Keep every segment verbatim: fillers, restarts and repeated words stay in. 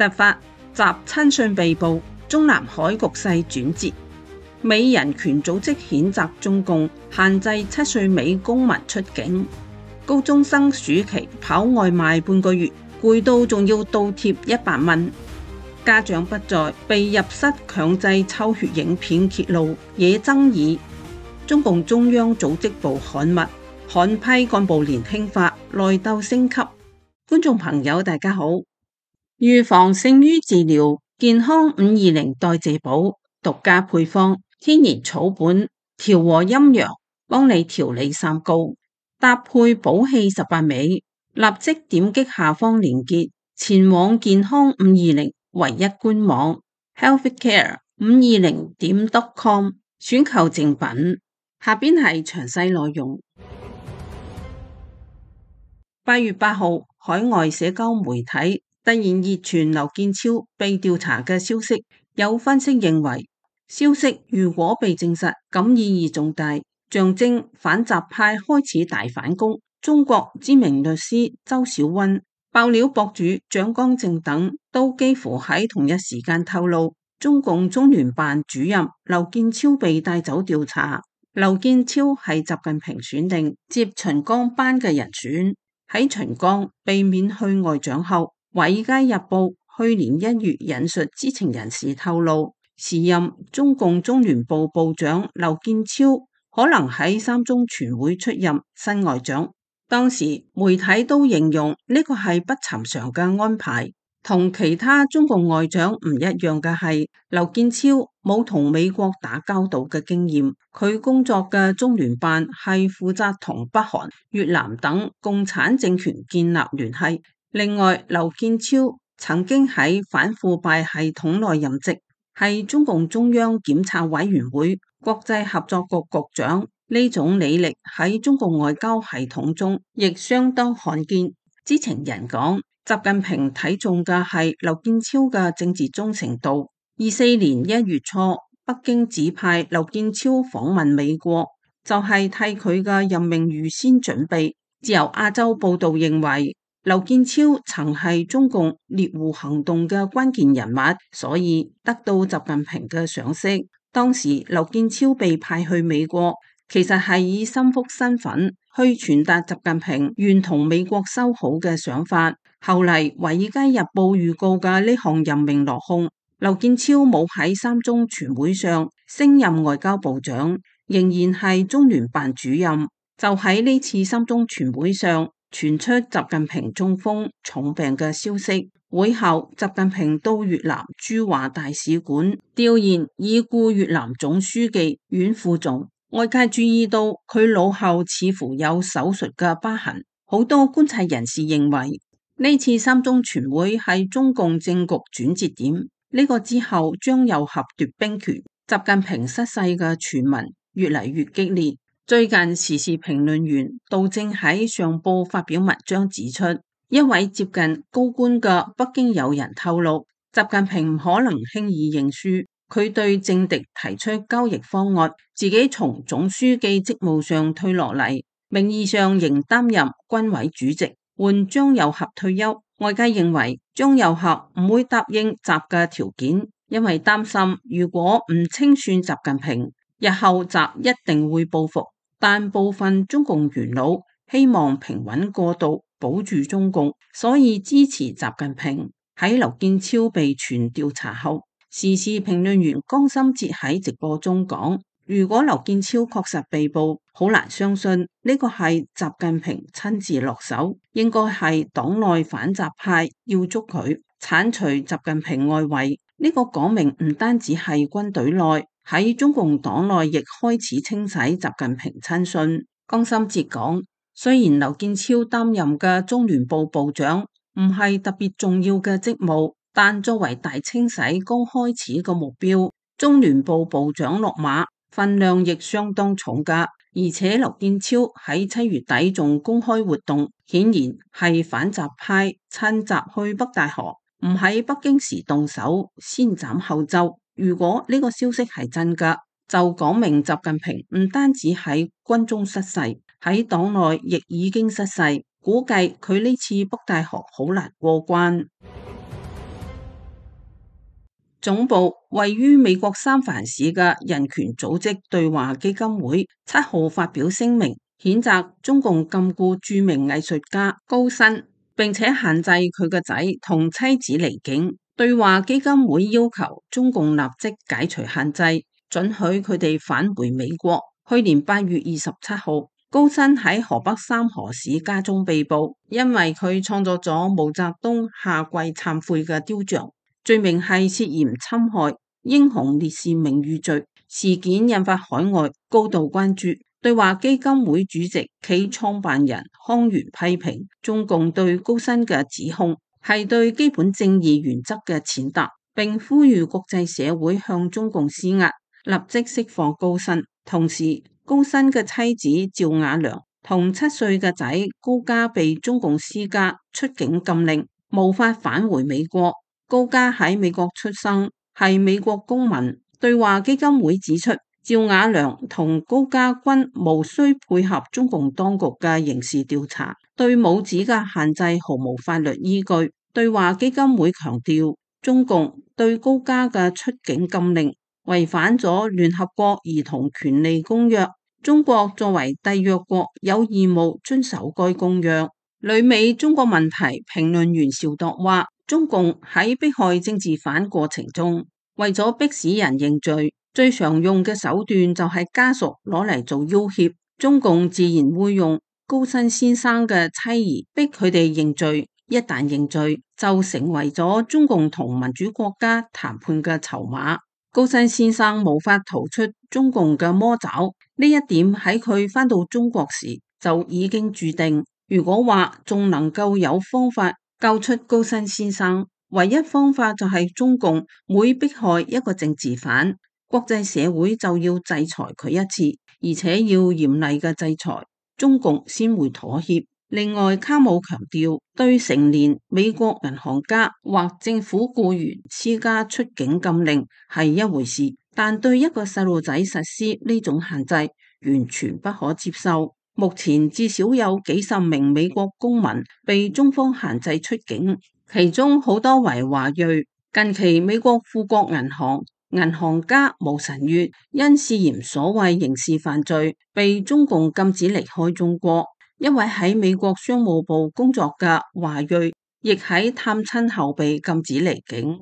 突發習親信被捕，中南海局勢轉折。美人權組織譴責中共限制七歲美公民出境。高中生暑期跑外賣半個月，攰到仲要倒貼一百蚊。家長不在，被入室強制抽血影片揭露，惹爭議。中共中央組織部刊物，狠批幹部年輕化，內鬥升級。觀眾朋友大家好，預防勝於治療，健康五二零代謝寶獨家配方，天然草本，調和陰陽，幫你調理三高，搭配補氣十八味，立即點擊下方連結，前往健康五二零唯一官網 healthcare 五二零點 com 選購正品。下邊係詳細內容。八月八號，海外社交媒體突然熱傳劉建超被調查嘅消息，有分析認為，消息如果被證實，咁意義重大，象徵反習派開始大反攻。中國知名律師周小溫、爆料博主蔣光正等都幾乎喺同一時間透露，中共中聯辦主任劉建超被帶走調查。劉建超係習近平選定接秦剛班嘅人選。喺秦剛被免去外長後，《華爾街日報》去年一月引述知情人士透露，時任中共中聯部部長劉建超可能喺三中全會出任新外長。當時媒體都形容呢個係不尋常嘅安排。同其他中共外長唔一樣嘅係，劉建超冇同美國打交道嘅經驗，佢工作嘅中聯辦係負責同北韓、越南等共產政權建立聯繫。另外，劉建超曾經喺反腐敗系統內任職，係中共中央檢察委員會國際合作局局長，呢種履歷喺中共外交系統中亦相當罕見。知情人講，習近平睇中嘅係劉建超嘅政治忠誠度。二四年一月初，北京指派劉建超訪問美國，就係、是、替佢嘅任命預先準備。自由亞洲報道認為，劉建超曾係中共獵狐行動嘅關鍵人物，所以得到習近平嘅賞識。當時劉建超被派去美國，其實係以心腹身份去傳達習近平願同美國修好嘅想法。後嚟《華爾街日報》預告嘅呢項任命落空，劉建超冇喺三中全會上升任外交部長，仍然係中聯辦主任。就喺呢次三中全會上傳出習近平中風重病嘅消息。會後，習近平到越南駐華大使館弔唁已故越南總書記阮富仲。外界注意到佢腦後似乎有手術嘅疤痕。好多觀察人士認為，呢次三中全會係中共政局轉折點，呢、這個之後將有合奪兵權。習近平失勢嘅傳聞越嚟越激烈。最近時事評論員杜正喺上報發表文章指出，一位接近高官嘅北京友人透露，習近平唔可能輕易認輸，佢對政敵提出交易方案，自己從總書記職務上退落嚟，名義上仍擔任軍委主席，換張又俠退休。外界認為張又俠唔會答應習嘅條件，因為擔心如果唔清算習近平，日後習一定會報復。但部分中共元老希望平穩過渡，保住中共，所以支持習近平。喺劉建超被傳調查後，時事評論員江心哲喺直播中講，如果劉建超確實被捕，好難相信呢個係習近平親自落手，應該係黨內反習派要捉佢，鏟除習近平外圍。呢個講明唔單止係軍隊內，喺中共黨內亦開始清洗習近平親信。江心哲講，雖然劉建超擔任嘅中聯部部長唔係特別重要嘅職務，但作為大清洗剛開始嘅目標，中聯部部長落馬分量亦相當重㗎。而且劉建超喺七月底仲公開活動，顯然係反習派趁習去北戴河，唔喺北京時動手，先斬後奏。如果呢個消息係真㗎，就講明習近平唔單止喺軍中失勢，喺黨內亦已經失勢。估計佢呢次北戴河好難過關。總部位於美國三藩市嘅人權組織對話基金會七號發表聲明，譴責中共禁錮著名藝術家高薪，並且限制佢個仔同妻子離境。對話基金會要求中共立即解除限制，准許佢哋返回美國。去年八月二十七號，高薪喺河北三河市家中被捕，因為佢創作咗毛澤東下跪懺悔嘅雕像，罪名係涉嫌侵害英雄烈士名譽罪。事件引發海外高度關注。對話基金會主席暨創辦人康源批評中共對高薪嘅指控係對基本正義原則嘅踐踏，並呼籲國際社會向中共施壓，立即釋放高薪。同時，高薪嘅妻子趙雅良同七歲嘅仔高嘉被中共施加出境禁令，無法返回美國。高嘉喺美國出生，係美國公民。對話基金會指出，趙雅良同高嘉均無需配合中共當局嘅刑事調查，對母子嘅限制毫無法律依據。對話基金會強調，中共對高嘉嘅出境禁令違反咗聯合國兒童權利公約，中國作為締約國有義務遵守該公約。旅美中國問題評論員邵鐸話，中共喺迫害政治犯過程中，為咗迫使人認罪，最常用嘅手段就係家屬攞嚟做要挾，中共自然會用高薪先生嘅妻兒逼佢哋認罪。一旦認罪，就成為咗中共同民主國家談判嘅籌碼。高薪先生無法逃出中共嘅魔爪，呢一點喺佢返到中國時就已經注定。如果話仲能夠有方法救出高薪先生，唯一方法就係中共每迫害一個政治犯，國際社會就要制裁佢一次，而且要嚴厲嘅制裁，中共先會妥協。另外，卡姆強調，對成年美國銀行家或政府僱員施加出境禁令係一回事，但對一個細路仔實施呢種限制，完全不可接受。目前至少有幾十名美國公民被中方限制出境，其中好多為華裔。近期美國富國銀行銀行家毛晨月因涉嫌所謂刑事犯罪，被中共禁止離開中國。一位喺美國商務部工作嘅華裔，亦喺探親後被禁止離境。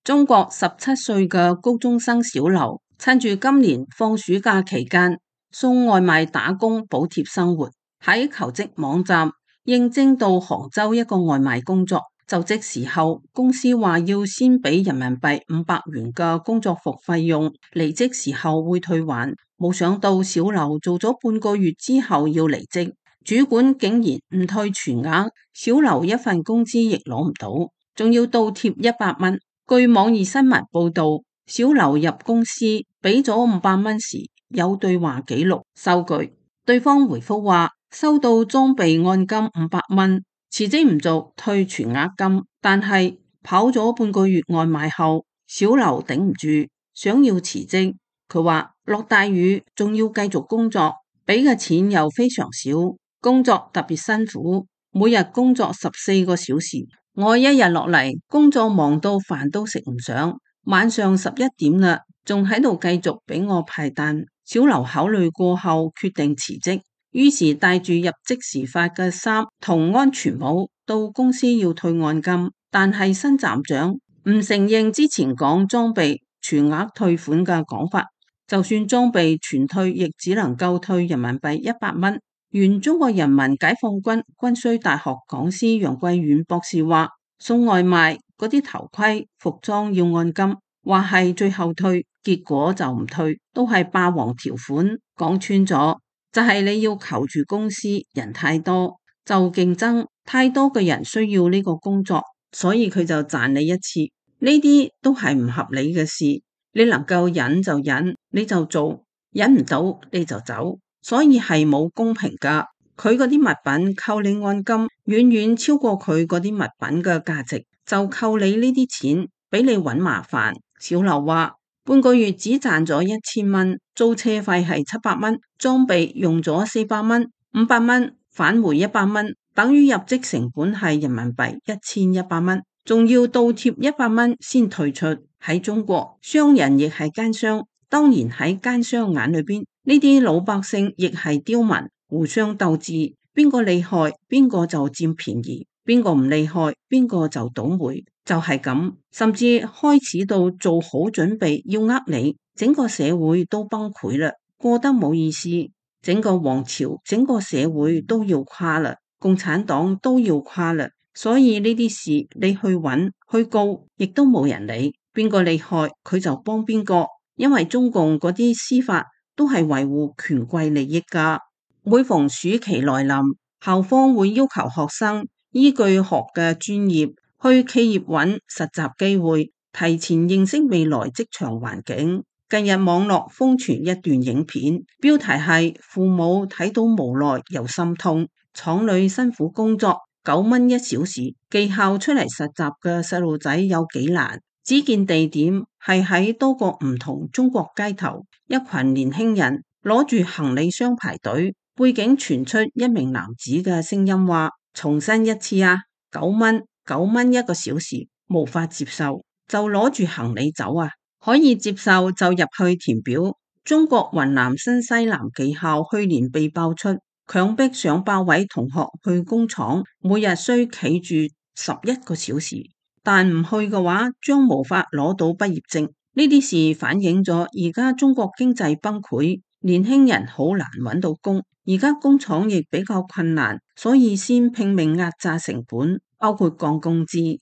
中國十七歲嘅高中生小劉，趁住今年放暑假期間送外賣打工補貼生活，喺求職網站應徵到杭州一個外賣工作。就職時候，公司話要先俾人民幣五百元嘅工作服費用，離職時候會退還。冇想到小劉做咗半個月之後要離職，主管竟然唔退全額，小劉一份工資亦攞唔到，仲要倒貼一百蚊。據網易新聞報道，小劉入公司俾咗五百蚊時，有對話記錄收據，對方回覆話收到裝備按金五百蚊，辭職唔做退全額金。但係跑咗半個月外賣後，小劉頂唔住，想要辭職。佢話落大雨仲要繼續工作，俾嘅錢又非常少，工作特別辛苦，每日工作十四個小時。我一日落嚟工作忙到飯都食唔上，晚上十一點啦，仲喺度繼續俾我派單。小劉考慮過後決定辭職，於是帶住入職時發嘅衫同安全帽到公司要退按金，但係新站長唔承認之前講裝備全額退款嘅講法。就算裝備全退，亦只能夠退人民幣一百蚊。原中國人民解放軍軍需大學講師楊貴遠博士話：送外賣嗰啲頭盔、服裝要按金，話係最後退，結果就唔退，都係霸王條款。講穿咗就係、是、你要求住公司人太多，就競爭太多嘅人需要呢個工作，所以佢就賺你一次。呢啲都係唔合理嘅事。你能夠忍就忍，你就做；忍唔到你就走，所以係冇公平噶。佢嗰啲物品扣你按金，遠遠超過佢嗰啲物品嘅價值，就扣你呢啲錢，俾你搵麻煩。小劉話半個月只賺咗一千蚊，租車費係七百蚊，裝備用咗四百蚊，五百蚊返回一百蚊，等於入職成本係人民幣一千一百蚊。仲要倒貼一百蚊先退出。喺中國，商人亦係奸商，當然喺奸商眼裏邊，呢啲老百姓亦係刁民，互相鬥智，邊個厲害邊個就佔便宜，邊個唔厲害邊個就倒霉，就係咁，甚至開始到做好準備要呃你，整個社會都崩潰啦，過得冇意思，整個王朝整個社會都要垮啦，共產黨都要垮啦。所以呢啲事你去揾去告，亦都冇人理，邊個厲害佢就幫邊個，因為中共嗰啲司法都係維護權貴利益噶。每逢暑期來臨，校方會要求學生依據學嘅專業去企業揾實習機會，提前認識未來職場環境。近日網絡瘋傳一段影片，標題係父母睇到無奈又心痛，廠裏辛苦工作九蚊一小時，技校出嚟實習嘅細路仔有幾難？只見地點係喺多個唔同中國街頭，一群年輕人攞住行李箱排隊，背景傳出一名男子嘅聲音話：重申一次啊，九蚊九蚊一個小時，無法接受就攞住行李走啊，可以接受就入去填表。中國雲南新西蘭技校去年被爆出強迫上百位同學去工廠，每日需企住十一個小時，但唔去嘅話將無法攞到畢業證。呢啲事反映咗而家中國經濟崩潰，年輕人好難揾到工，而家工廠亦比較困難，所以先拼命壓榨成本，包括降工資。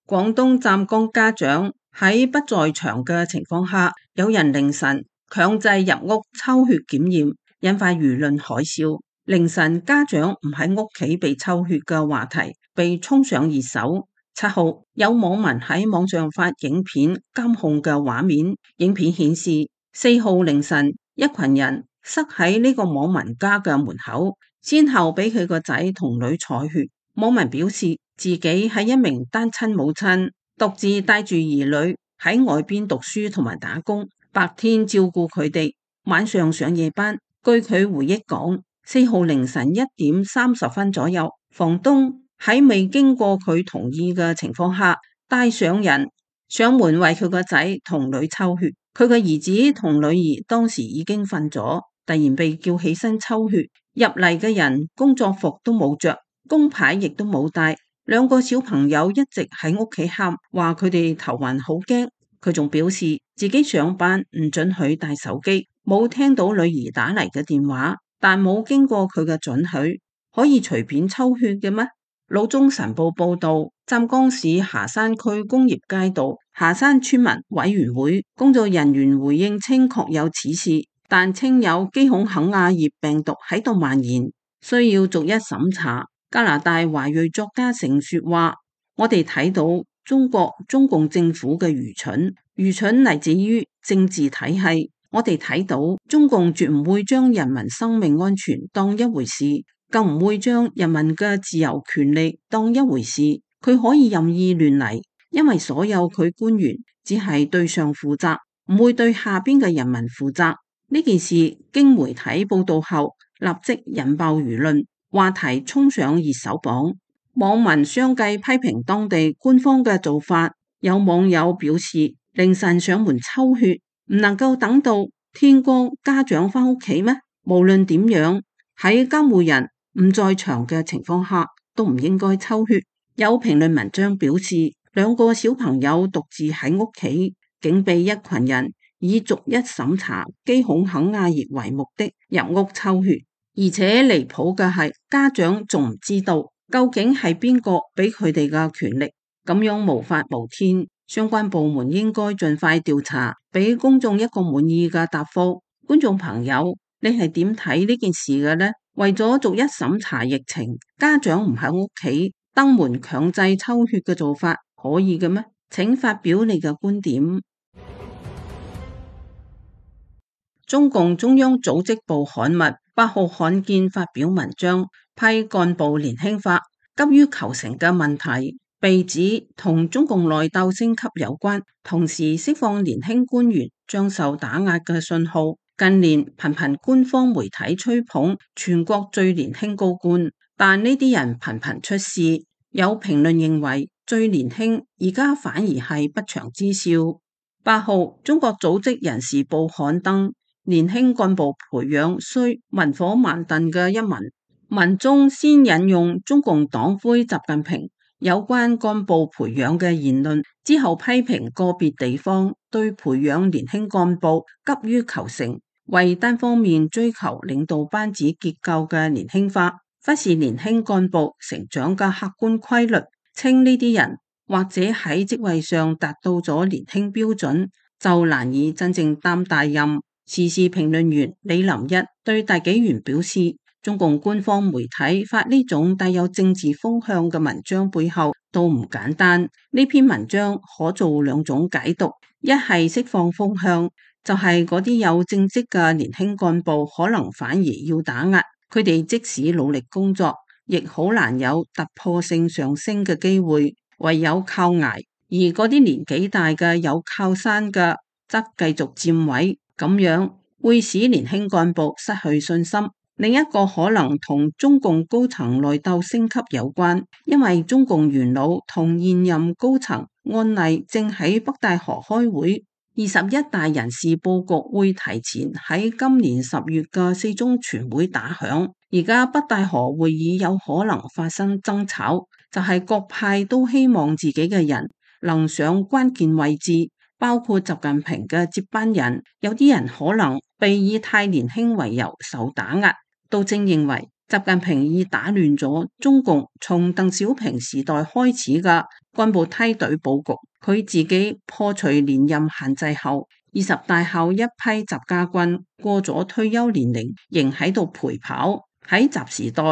廣東湛江家長喺不在場嘅情況下，有人凌晨強制入屋抽血檢驗，引發輿論海嘯。凌晨家長唔喺屋企被抽血嘅話題被衝上熱搜。七號有網民喺網上發影片監控嘅畫面，影片顯示四號凌晨一群人塞喺呢個網民家嘅門口，先後俾佢個仔同女採血。網民表示自己係一名單親母親，獨自帶住兒女喺外邊讀書同埋打工，白天照顧佢哋，晚上上夜班。據佢回憶講，四號凌晨一點三十分左右，房東喺未經過佢同意嘅情況下，帶上人上門為佢個仔同女抽血。佢嘅兒子同女兒當時已經瞓咗，突然被叫起身抽血。入嚟嘅人工作服都冇着，工牌亦都冇帶，兩個小朋友一直喺屋企喊，話佢哋頭暈好驚。佢仲表示自己上班唔准許帶手機，冇聽到女兒打嚟嘅電話，但冇經過佢嘅准許，可以隨便抽血嘅咩？老中晨報報道，湛江市霞山區工業街道霞山村民委員會工作人員回應稱確有此事，但稱有基孔肯亞葉病毒喺度蔓延，需要逐一審查。加拿大華裔作家成說話：我哋睇到中國中共政府嘅愚蠢，愚蠢嚟自於政治體系。我哋睇到中共絕唔會將人民生命安全當一回事，更唔會將人民嘅自由權利當一回事。佢可以任意亂嚟，因為所有佢官員只係對上負責，唔會對下邊嘅人民負責。呢件事經媒體報道後，立即引爆輿論。話題衝上熱搜榜，網民相繼批評當地官方嘅做法。有網友表示，凌晨上門抽血唔能夠等到天光家長返屋企咩？無論點樣，喺監護人唔在場嘅情況下都唔應該抽血。有評論文章表示，兩個小朋友獨自喺屋企，竟被一群人以逐一審查基孔肯亞葉為目的入屋抽血。而且離譜嘅係，家長仲唔知道究竟係邊個俾佢哋嘅權力，咁樣無法無天。相關部門應該盡快調查，俾公眾一個滿意嘅答覆。觀眾朋友，你係點睇呢件事嘅呢？為咗逐一審查疫情，家長唔喺屋企登門強制抽血嘅做法可以嘅咩？請發表你嘅觀點。中共中央組織部刊物八號罕見發表文章，批幹部年輕化急於求成嘅問題，被指同中共內鬥升級有關，同時釋放年輕官員將受打壓嘅信號。近年頻頻官方媒體吹捧全國最年輕高官，但呢啲人頻頻出事，有評論認為最年輕而家反而係不祥之兆。八號，中國組織人事報刊登年輕幹部培養需文火慢燉嘅一文，文中先引用中共黨魁習近平有關幹部培養嘅言論，之後批評個別地方對培養年輕幹部急於求成，為單方面追求領導班子結構嘅年輕化，忽視年輕幹部成長嘅客觀規律，稱呢啲人或者喺職位上達到咗年輕標準，就難以真正擔大任。時事評論員李林一對大紀元表示，中共官方媒體發呢種帶有政治風向嘅文章背後都唔簡單。呢篇文章可做兩種解讀，一係釋放風向，就係嗰啲有正職嘅年輕幹部可能反而要打壓，佢哋即使努力工作，亦好難有突破性上升嘅機會，唯有靠捱。而嗰啲年紀大嘅有靠山嘅，則繼續佔位，咁樣會使年輕幹部失去信心。另一個可能同中共高層內鬥升級有關，因為中共元老同現任高層按例正喺北戴河開會，二十一大人事佈局會提前喺今年十月嘅四中全會打響。而家北戴河會議有可能發生爭吵，就係、是、各派都希望自己嘅人能上關鍵位置，包括習近平嘅接班人。有啲人可能被以太年輕為由受打壓。杜正認為習近平已打亂咗中共從鄧小平時代開始嘅幹部梯隊佈局，佢自己破除連任限制後，二十大後一批習家軍過咗退休年齡，仍喺度陪跑。喺習時代，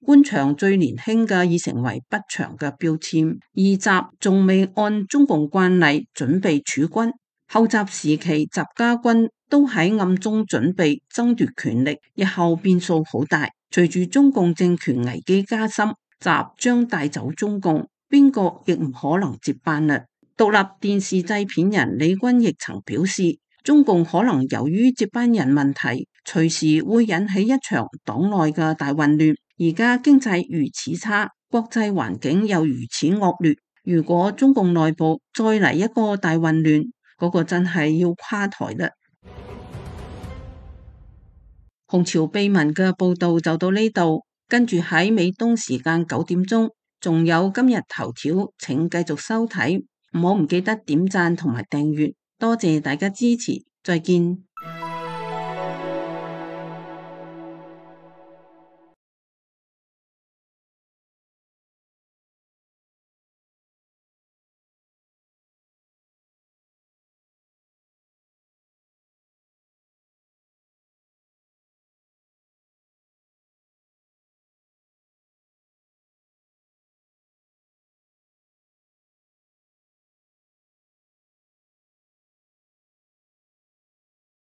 官場最年輕嘅已成為不祥嘅標籤，而習仲未按中共慣例準備儲軍。後習時期習家軍都喺暗中準備爭奪權力，日後變數好大。隨住中共政權危機加深，習將帶走中共，邊個亦唔可能接班啦。獨立電視製片人李君亦曾表示，中共可能由於接班人問題，隨時會引起一場黨內嘅大混亂。而家經濟如此差，國際環境又如此惡劣，如果中共內部再嚟一個大混亂，嗰個真係要垮台啦！紅潮秘聞嘅報道就到呢度，跟住喺美東時間九點鐘，仲有今日頭條，請繼續收睇，唔好唔記得點讚同埋訂閱，多謝大家支持，再見。